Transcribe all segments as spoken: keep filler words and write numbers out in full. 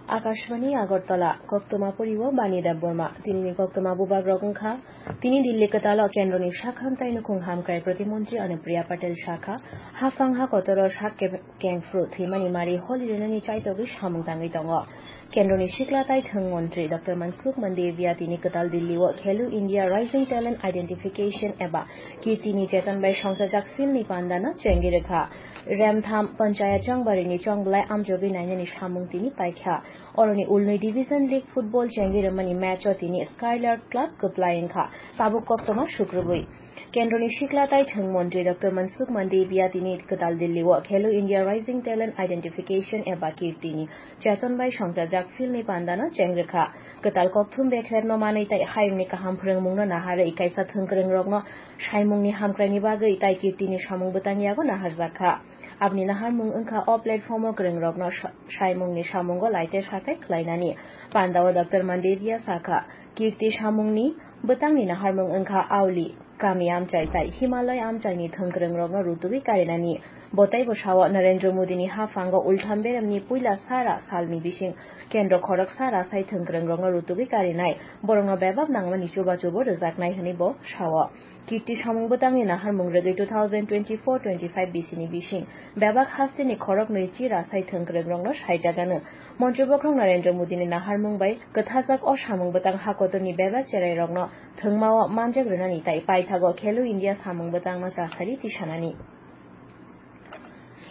Akashbani Agartala, koktwma poriwo Bani Debbarma. Tinini koktwma bubagrok wngkha, tini Delhi kwtalo kendroni sak hamtai nukhung hamkrai protimontri Anupriya Patel sakha, hafang ha kotoro sak ke-, kengphru thwimani mari holi rwnani chaitogwi samung tangwi tongo. Kendroni sikla tai thwng montri Doctor Mansukh Mandaviya tini kwtal Delhi o Khelo India Rising Talent Identification eba Kirtini Cheton bai songchajak silni pandano chengwi rwkha. Remtham Panchayat Chongbarini chongblai amjogwi nainani samung tini paikha. Oroni ulnwi Division League football chengwi rwmani match o tini Skylark Club kwplai wngkha. Tabuk koktwma sukrubwi. Kendroni sikla tai thwng montri Doctor Mansukh Mandaviya tini kwtal Delhi o Khelo India Rising Talent Identification eba Kirtini Cheton bai songchajak silni pandano cheng rwkha. Kwtal kokthum bekhrekno manwi tai hayungni kaham phwrwngmungno naharwi kaisa thwngkwrwngrokno saimungni hamkraini bagwi tai Kirtini samung bwtang yago naharjakha. Aboni naharmung wngkha o platform o kwrwngrokno sa-, saimungni samungo laite sakai khlainani. Pandao Doctor Mandaviya sakha, Kirti samungni bwtangni naharmung wngkha auli, kami amchai tai Himalaya amchaini thwngkwrwngrokno rutugwi karinani. Bo teibo sao Narendra Modini haphango ultham beremni puila sara salni bising kendro khorok sara sai thwngkwrwngrokno rutugwi karinai, borokno bebak nangmani chubachubo rwjaknai hwnwi bo sao. Kirti samung bwtangni naharmung rwgwi two thousand twenty-four twenty-five bisini bising bebak hasteni khoroknwi chira sai thwngkwrwngrokno saijagano. Montri bokhorok Narendra Modini naharmung bai kwthajak o samung bwtang hakotorni bebak cherairokno thwngmao manjak rwnani tai paithago Khelo India samung bwtangno chasari tisanani.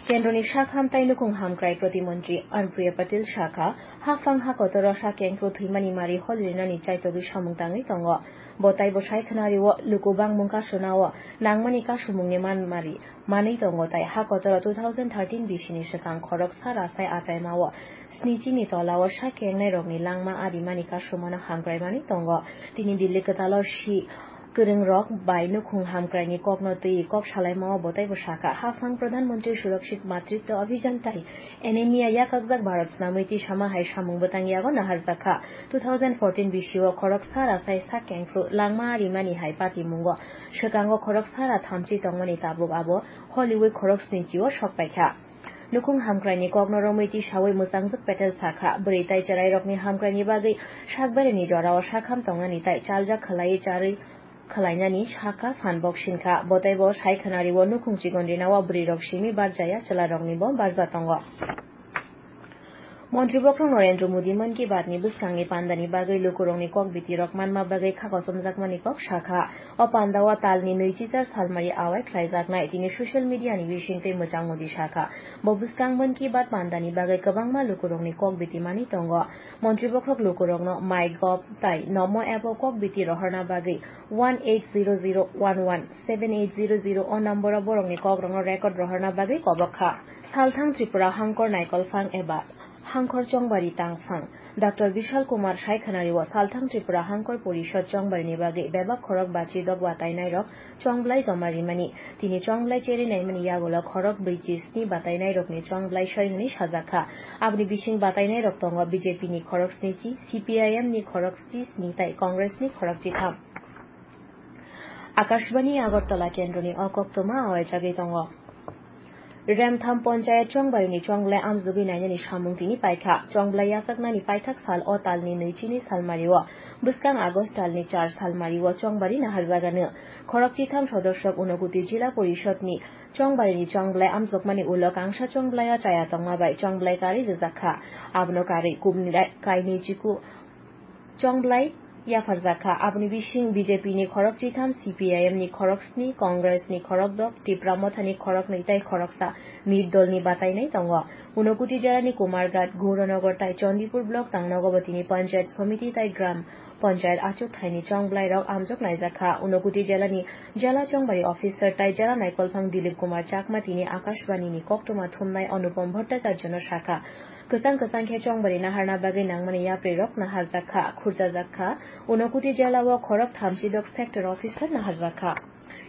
Kendroni sak hamtai nukhung hamkrai protimontri Anupriya Patel sakha, hafang ha kotoro sak kengphru thwimani mari holi rwnani chaitogwi samung tangwi tongo. Bo taibo sai khwnari o luku bangmung kasuna o nangmani kasumungni manmari manwi tongo tai ha kotoro two thousand thirteen bisini swkang khorok sara sai achaima o snichi ni tola o sak kengnai rokni langma arimani kasumano hamkraimani tongo. Tini Delhi kwtalo si kwrwngrok bai nukhung hamkraini kokno twi kok salaimao bo teibo sakha, hafang Pradhan Mantri Surakshit Matritwa Abhiyan tai anemia yakakjak Bharat snamwi tisama hai samung bwtang yago naharjakha. Two thousand fourteen bisio khorok sara sai sak kengphru langma rimani hai patimungo swkango khorok sara thamchi tongmani tabuk abo holiwi khorok snichio sokpaikha. Nukhung hamkraini kokno romwi tisawi mwchangjak Patel sakha, bwrwi tai chwrairokni hamkraini bagwi sakbarini jorao sakham tongnani tai chaljak khwlaiwi charwi khwlainani sakha phan bok sinkha. Bo teibo sai khwnario nukhung chigon rinao bwrwirok simi barjaya chwlaroknibo barja tongo. Montri bokhorok Narendra Modi Mann Ki Baat ni bwskangni pandani bagwi lukurokni kok bitirok manma bagwi kha kochomjakmani kok sakha. O pandao talni nwichichar salmari awai khlaijaknai tini social media ni bisingtwi mwchang Modi sakha. Bo bwskang Mann Ki Baat pandani bagwi kwbangma lukurokni kok biti manwi tongo. Montri bokhorok lukurokno MyGov tai Namo app o kok biti rohorna bagwi one eight zero zero one one seven eight zero zero o number o borokni kokrokno record rohorna bagwi kobok kha. Salthang Tripura Hangkor Naikolphang eba Hangkhor Chongbari Tangphang. Doctor Bishal Kumar sai khwnario Salthang Tripura Hangkhor Porishod Chongbarini bagwi bebak khorok bachi dok batainairok chongblai joma rimani. Tini chongblai cheri naimani yagulo khorok brwi chi sni batainairokni chongblai soi hwnwi sajakha. Aboni bising batainairok tongo B J P ni khorok sni chi, C P I M ni khorok chi sni tai Congress ni khorok chi tham. Akashbani Agartala kendroni o koktwma awaijagwi tongo. Remtham Panchayat Chongbarini chongblai amjogwi nainani samung tini paikha. Chongblai yachaknani paithak sal o talni nwichini salmario, bwskang August talni char salmario Chongbari naharjagano. Khorok chitham sodosok Unokuti Jila Porishodni Chongbarini chongblai amjokmani ulo kangsa chongblai o chaya tongma bai chongblai karwi rwjakha. Abono karwi kubni rai-, kainwi chiku chongblai yapharjakha. Aboni bising B J P ni khorok chitham, C P I M ni khorok sni, Congress ni khorok dok, Tipra Motha ni khorok nwi tai khoroksa Mir Dol ni batainai tongo. Unokuti jora ni Kumarghat, Gauranagar tai Chandipur block tangnogo bo tini Panchayat Samiti tai Gram Panchayat achuk thaini chongblairok amjok naijakha. Unokuti jela ni Jela Chongbari officer tai Jela Naikolphang Dilip Kumar Chakma tini Akashbani ni koktwma thumnai Anupam Bhattacharya no sakha. Kwchang kwchang khe chongbari naharna bagwi nangmani yaprirok naharjak kha, khurchajak kha. Unokuti jela o khorok thamchi dok sector officer naharjak kha.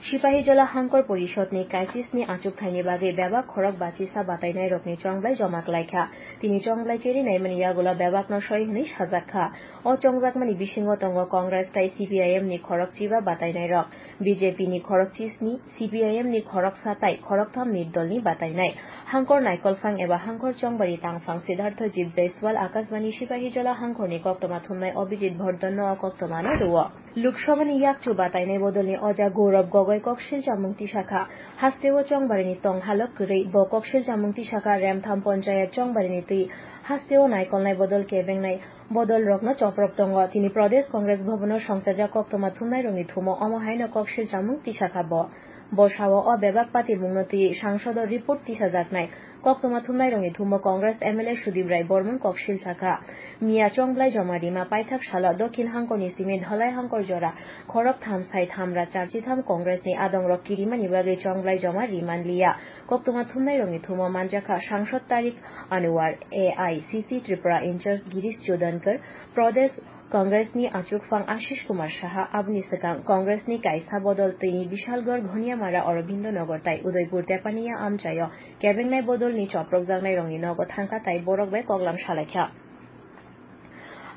Sipahijola Hangkor Porishodni kaisisni achukthai ni bagwi bebak khorok bachisa batainairokni chongblai joma klaikha. Tini chongblai cheri naimani yagulo bebakno soi hwnwi sajakha. O chongjakmani bisingo tongo Congress tai C P I M ni khorok chiba batainairok, B J P ni khorok chisni, C P I M ni khorok sa tai khorok tham ni dolni batainai. Hangkor naikolphang eba hangkor chongbari tangphang Siddhartho Jit Jaiswal Akashbani Sipahijola Hangkorni koktwma thumnai Abhijit Bhardon no o koktwmano rwo. Lok Sabhani yakchu batainai bodolni oja Gaurav Gogoi koksil chamung tisakha. Hasteo chongbarini tong halok kwrwi. Bo koksil chamung tisakha Remtham Ponchayat chongbarini twi. Hasteo naikolnai bodol kebengnai bodolrokno choprok tongo. Tini Pradesh Congress Bhavan-o songchajak koktwma thumnairokni thumo omo haino koksil chamung tisakha bo. Bo sao o bebak patimungno twi sangsodo report tisajaknai. Koktwma thumnairokni thumo Congress M L A Sudip Rai Bormon koksil sakha. Miya chongblai joma rima paithak salo Dokhin Hangkorni simi Dhalai Hangkor jora khorok tham sai thamra charchi tham Congressni adongrok kirimani bagwi chongblai joma riman liya. Koktwma thumnairokni thumo manjakha Sangsod Tariq Anwar, A I C C Tripura in-charge Girish Chodankar, Pradesh Congressni achukphang Ashish Kumar Saha, aboni swkang Congressni kaisa bodol tini Bishalgarh, Ghoniamara, Aurobindo Nagar tai Udaipur Tepaniya amchaio kebengnai bodolni choprokjaknairokni nogo thangkha tai borok bai koklam salaikha.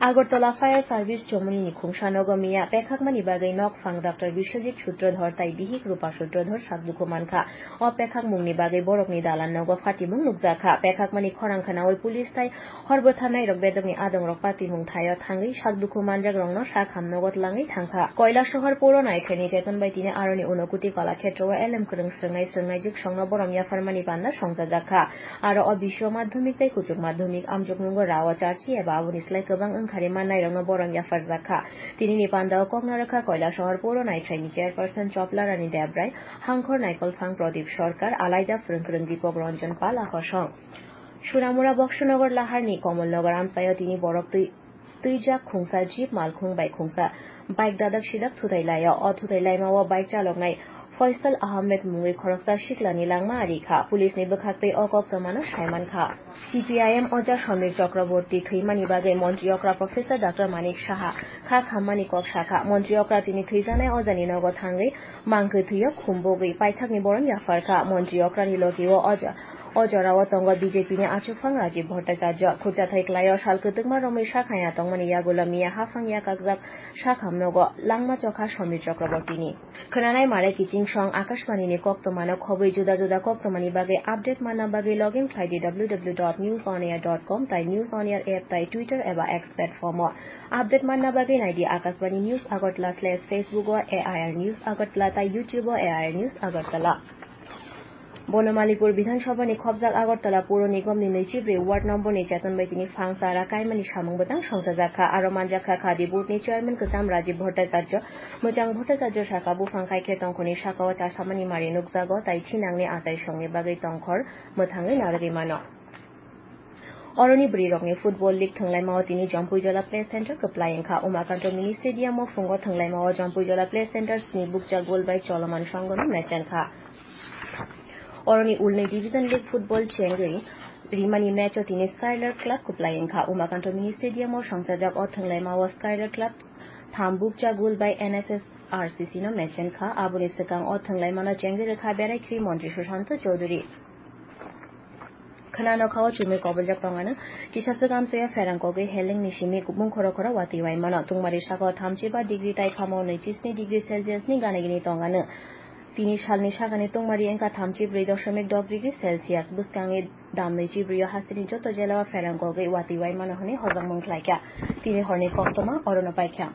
Agartala Fire Service Chomoni ni khungsa nogo miya pekhakmani bagwi nokphang Doctor Biswajit Sutradhar tai bihik Rupa Sutradhar sak dukhu mankha. O pekhakmungni bagwi borokni dalan nogo phatimung nukjakha. Pekhakmani khorang khnaui police tai hor bwtharnairok bedokni adongrok patimung thaio thangwi sak dukhu manjakrokno sak ham nogo tlangwi thangkha. Koilasohor Puro Naithraini cheton bai tini aroni Unokoti Kalakshetro o elem kwrwng srwngnai srwngnai jwksongno borom yapharmani panda songchajakha. Aro o bisio madhyamik tei kuchuk madhyamik amjokmungo rao charchi eba aboni slai kwbang wngkhari mannairokno borom yapharjakha. Tinini pandao kok narwkha Koilasohor Puro Naithraini chairperson Choplarani Debrai, Hangkhor Naikolphang Pradip Sarkar, Alaida Phrwngkwrwng Dipak Ranjan Pal, a kosong. Sunamura Boksanagar Laharni Komolnagar amchaio tini borok twi twijak khungsa jeep malkhung bai khungsa bike dadak sidak thutai laio. O thutai laimao bike chaloknai Faisal Ahmed mungwi khoroksa siklani langma ari kha. Police ni bwkhaktwi o koktwmano saimankha. C P I M oja Samir Chakraborty thwimani bagwi montri okra Professor Doctor Manik Saha kha khammani kok sakha. Montri okra tini thwijaknai ojani nogo thangwi mangkwthwio khumbogwi paithakni borom yapharkha. Montri okrani logio oja O jorao tongo B J P ni achukphang Rajiv Bhattacharya. Khurchathai kwlaio sal kwtwkma romwi sakhaya tongmani yagulo miya haphang yakakjak sakham nogo langma chokha Samir Chakraborty ni. Khwnanai mare kiching song Akashbani ni koktwmano khobwi juda juda koktwmani bagwi update manna bagwi login khlai di W W W dot news on air dot com tai News on Air app tai Twitter eba X platform o. Update manna bagwi nai di Akashbani News Agartala slash Facebook o, A I R News Agartala tai YouTube o A I R News Agartala. Bono Malikpur Bidhan Sabha ni khobjak Agartala Puro Nigom ni nwichibrwi ward number ni cheton bai tini phang chara kaimani samung bwtang songchajakha. Aro manjakha khadi board ni chairman kwcham Rajiv Bhattacharya. Mwchang Bhattacharya sakha buphang kaikhe tongkhorni sakao chasamani mari nukjago tai thinangni achaisongni bagwi tongkhor mwthangwi narwgwi mano. Oroni bwrwirokni football league thwnglaimao tini Jampuijala Play Center kwplai wngkha. Umakanto Mini Stadium o phungo thwnglaimao Jampuijala Play Center sni bukcha goal bai choloman songgono match wngkha. Oroni ulni Division League football chengwi rimani match o tini Skylar Club kwplai wngkha. Umakanto Mini Stadium o songchajak o thwnglaimao Skylar Club tham bukcha goal bai N S S R C C no match wngkha. Aboni swkang o thwnglaimano chengwi rwkha berai khri montri Sushanto Chowdhury. Khwnano kha o chumui koboljak tongano. Kisa swk amchaya pherang kogwi helengni simi kubung khoro khoro watwi waimano. Tungmari sakao thamchi ba degree tai phamo nwichi sni degree Celsius ni gana gini tongano. Tini salni sakani tungmari wngkha thamchi brwi doshomik dok degree Celsius. Bwskangni dam nwichi brwi o hasteni joto jela o pherang kogwi watwi waimano hwnwi hojak mung khlaikha. Tini horni koktwma orono paikha.